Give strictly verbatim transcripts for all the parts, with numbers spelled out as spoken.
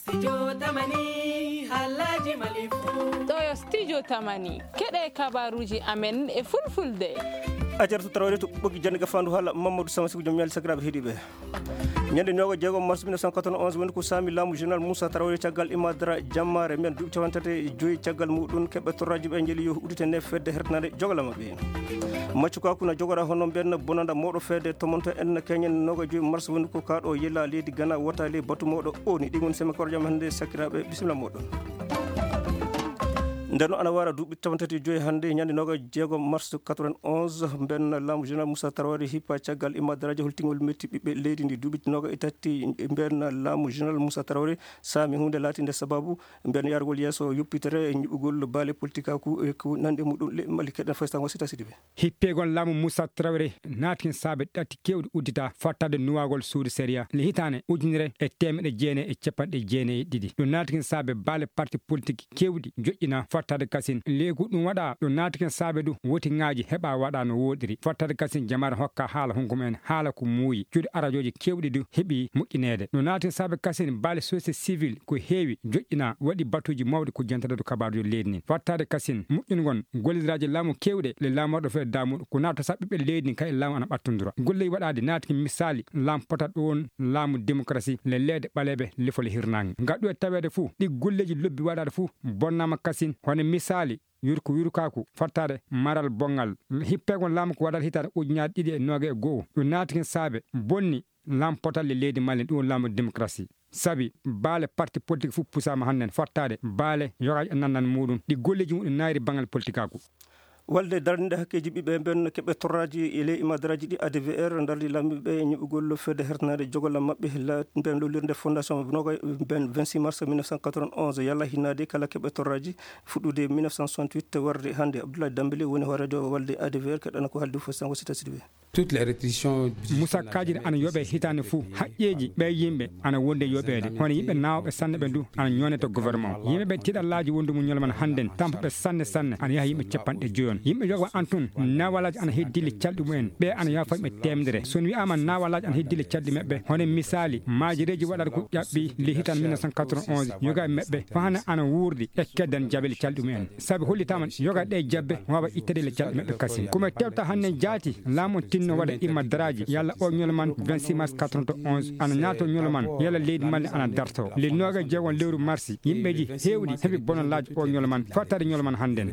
Studio Tamani, haalaaji Mali fuu. Ɗo yo Studio Tamani, keɗe kabaruuji amen e fulfulde. A jartu tarawre to ɓoggi jannde gafaandu haala Mamadou Sama Siku, jom ñaali sakiraaɓe heɗiiɓe. Ñande nooga jeego mars mille neuf cent quatre-vingt-onze woni ko saami laamu Général Moussa Traoré caggal Imadara Jammaare men duuɓi capanɗe tati e joyi caggal muɗum keɓɓe torraaji ɓe njeli yo uddite nde fedde hertanaade jogala maɓɓe. Maccu kaku na jogora hono mbenna bonanda moɗo fedde tomonto en keñen nooga joyi mars woni ko kaɗo yela leydi Gana wota ley batu moɗo oni ɗi woni seme korjam hannde sakiraaɓe bisimilla moɗon. Nden noon ana wara duuɓi capanɗe tati e joyi hannde ñande nooga jeego mars quatre-vingt-onze mbenna laamu Général Moussa Traoré hippa caggal Imadaraji holtingol metti ɓiɓɓe leydi ndi duuɓi nooga e tati mbenna laamu Général Moussa Traoré saami hunde laatinde sababu mbenna yargol yeeso yoppitere e ñiɓugol baale politikaaku e ko nanndi muɗum le Mali keɗen faysango sita sidi ɓe. Hippegol laamu Moussa Traoré naati saabe ɗatti keewɗi uddita fattade nuwaagol suudu sariya le hitaande ujunere e teemeɗe jeenayi e capanɗe jeenayi e ɗiɗi. Ɗum naati saabe baale parti politik keewɗi joƴƴina fattade kasin. Leegu ɗum waɗa ɗum naati saabe du wotingaaji heɓa waɗa no wooɗiri. Fattade kasin jamaare hokka haala hunko mumen haala ko muuyi. Cuuɗi arajooji keewɗi du heɓi moƴƴineede. Ɗum naati saabe kasin baale société civile ko heewi joƴƴina waɗi batuuji mawɗi ko jentata du kabaarujo leydi nin. Fattade kasin moƴƴungol golliraaji laamu keewɗe le laamorɗo fee damuɗo ko naata sa ɓiɓɓe leydi nin kay laamu ana ɓattundura. Golle waɗaade naati misaali laam pota ɗoon laamu démocratie le leede ɓaleeɓe lefol hirnaange. Ngaɗɗu e taweede fuu ɗi golleeji lobbi waɗaade fuu bonnaama kasin hono misaali yurko yurkaaku fattaade maral bonngal. Hippegol laamu ko waɗata hitaande ujunaaji ɗiɗi e nooga e go'o. Ɗum naati saabe bonni laam potal le leydi Mali ɗum laamu démocratie. Sabi baale parti politik fof pusaama hannden fattaade baale yogaaji e nannan muɗum ɗi golleeji muɗum naayri banngal politikaaku. Walde darnde hakkeeji ɓiɓɓe ɓen keɓe torraaji e ley imadaraaji ɗi A D V R dardi laamiiɓe ñiɓugol fedde hertanaade jogol maɓɓe la ɓen lollirde fondation noga ɓen vingt-six mars mille neuf cent quatre-vingt-onze yalla hinnaade kala keɓe torraaji fuɗɗude mille neuf cent soixante-huit warde hannde. Abdoulaye Dambélé woni hooreejo walde A D V R keɗana ko haaldi fof sango sita sidiɓe. Toutes les restrictions. Musa Kajiri ana yoɓe hitaande fuu haqqeeji ɓe yimɓe ana wonde yoɓeede hono yimɓe naawɓe sanne ɓe du ana ñoone to gouvernement yimɓe ɓe tiɗallaaji wondumu ñolman hannden tampuɓe sanne sanne ana yaha yimɓe capanɗe joyon yimɓe yoga an tun nawalaaji ana heddille calɗi mumen ɓe ana yaha fayɓe temedere so on wiyaama nawalaaji ana heddille calɗi maɓɓe hono misaali maajireeji waɗata ko ƴaɓɓi le hitan mille neuf cent quatre-vingt-onze yoga e maɓɓe fahana ana wuurdi e keddan jabel calɗi mumen sabi hollitaama yoga ɗe jabbe waawa ittade le calɗi maɓɓe kasin komo tewta hannden jaati laamu on tinno waɗa imma daraaji yalla o ñolo man vingt-six mars quatre-vingt-onze ana ñaato ñolo man yalla leydi Mali ana darto le nooga jeegon lewru marsi yimɓeeji heewɗi heɓi bonolaaji o ñolo man fattaade ñolo man hannden.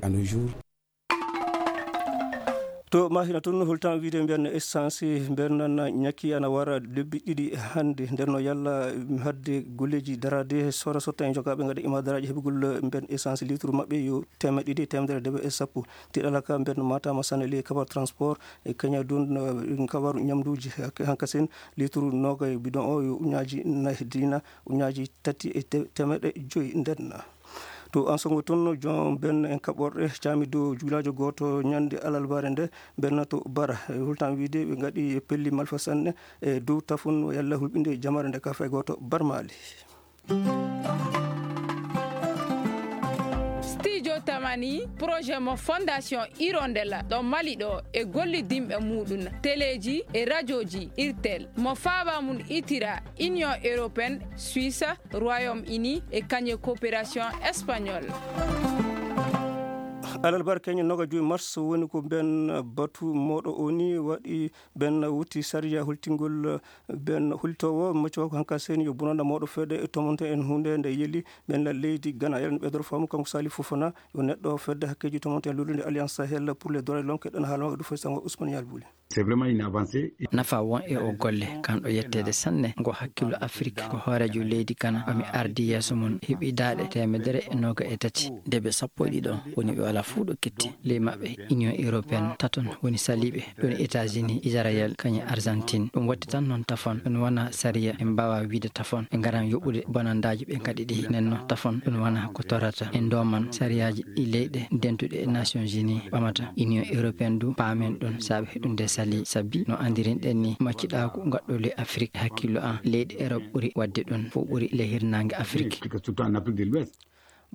To mahina toon holtan wiide mbiyan essence mbiyan nan ñakki ana wara lebbi ɗiɗi hannde nden no yalla hadde golleeji daraade sora sotta en jogaaɓe ngaɗa imadaraaji heɓugol mbiyan essence litre maɓɓe yo temeɗe ɗiɗi e temedere debe e sappo. Tiɗalaka mbiyan matama sanne ley kabar transport e kaña dun kabaru ñamduuji hankasen litre noga e bidon o yo uñaaji nayi dina uñaaji tati e temeɗe joyi nden. To Ansogo toon joom ben en kaɓorɗe caami dow juulaajo gooto ñande alalbaare nde benna to bara e hultan wiide ɓe ngaɗi pelli malfa sanne e dow tafun yalla hulɓinde jamaare nde ka fay gooto barmaali. Studio Tamani projet mo fondation Hirondella ɗo Mali ɗo e gollidinɓe muɗum teleeji e rajooji irtel mo faaba mum itira Union européenne, Suisse, Royaume-Uni e kañe coopération espagnole. Alarbar keñe noga joyi mars woni ko ben batu moɗo oni waɗi ben wutti sariya hultingol ben hultowo maccuwa ko hanka seni yo bonanda moɗo fede e tomonte en hunde nde yeli ben la leydi Gana yalani ɓedor famu kanko Sali Fofana yo neɗɗo fedde hakkeji tomonte en lollude Alliance Sahel pour les droits de l'homme keɗen haalama du fay sango Ousmane Yalbuli. C'est vraiment une avancée. Nafa won e o golle kanɗo yetteede sanne ngo hakkillo Afrik ko hooreejo leydi Gana omi ardi yeeso mum heɓi daaɗe teemedere e nooga e tati debe sappo e ɗiɗo woni ɓe wala fuu ɗo ketti ley maɓɓe Union européenne taton woni saliiɓe ɗon États-Unis Israël kañe Argentine ɗum waɗti tan noon tafon ɗum wona sariya ɓe mbaawa wiide tafon ɓe ngaran yoɓude bonandaaji ɓe ngaɗi ɗi nenno tafon ɗum wona ko torata e ndoman sariyaaji ɗi leyɗe dentuɗe e Nations Unies ɓamata Union européenne du paamen ɗum saabe heɗunde sali sabi no anndirinɗen ni maccuɗaaku ngaɗɗo ley Afrik hakkillo an leyɗe Europe ɓuri waɗde ɗum fof ɓuri ley hirnaange Afrik. Surtout en Afrique de l'Ouest.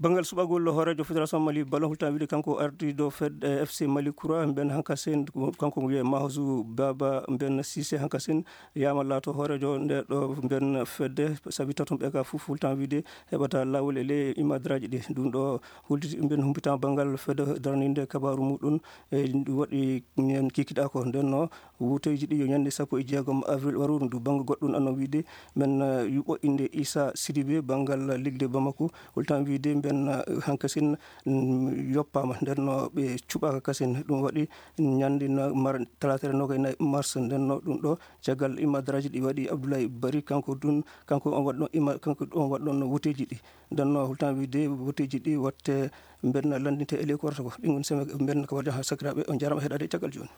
Banngal suɓagol hooreejo Fédération Mali Ballon, hultan wiide kanko ardiiɗo fed, eh, F C Mali Kura, mben hankasin, kanko wiye Mahzu Baba, mben Sise hankasin, yama laato hooreejo nde ɗo mben fedde, sabi tatum ɓe ka fof hultan wiide heɓata laawol e ley imadraaji ɗi. Ɗum ɗo hulti mben humpitama banngal fedde darninde kabaaru muɗum, e ɗum waɗi ñen kikiɗa ko. Nden no wuuteeji ɗi yo ñande sappo e jeegom avril waruɗo ndu. Bannge goɗɗum anno wiide men, eh, yuɓo innde Issa Sidibé banngal ligde Bamako, holtan wiide mben, eh, hankasin, mm, yoppaama. Nden no ɓe cuɓaaka kasin. Ɗum waɗi ñande na mar-, talatere nogay nayi mars. Nden no ɗum ɗo caggal imadraaji ɗi waɗi Abdoulaye Bari, kanko ɗum, kanko on waɗɗon ima-, kanko on waɗɗon wuuteeji ɗi. Nden no holtan wiide wuuteeji ɗi watte mben lanndinte e ley korto ko. Ɗin woni seme mben ko waɗde ha sakiraaɓe. On jarama heɗade caggal jooni.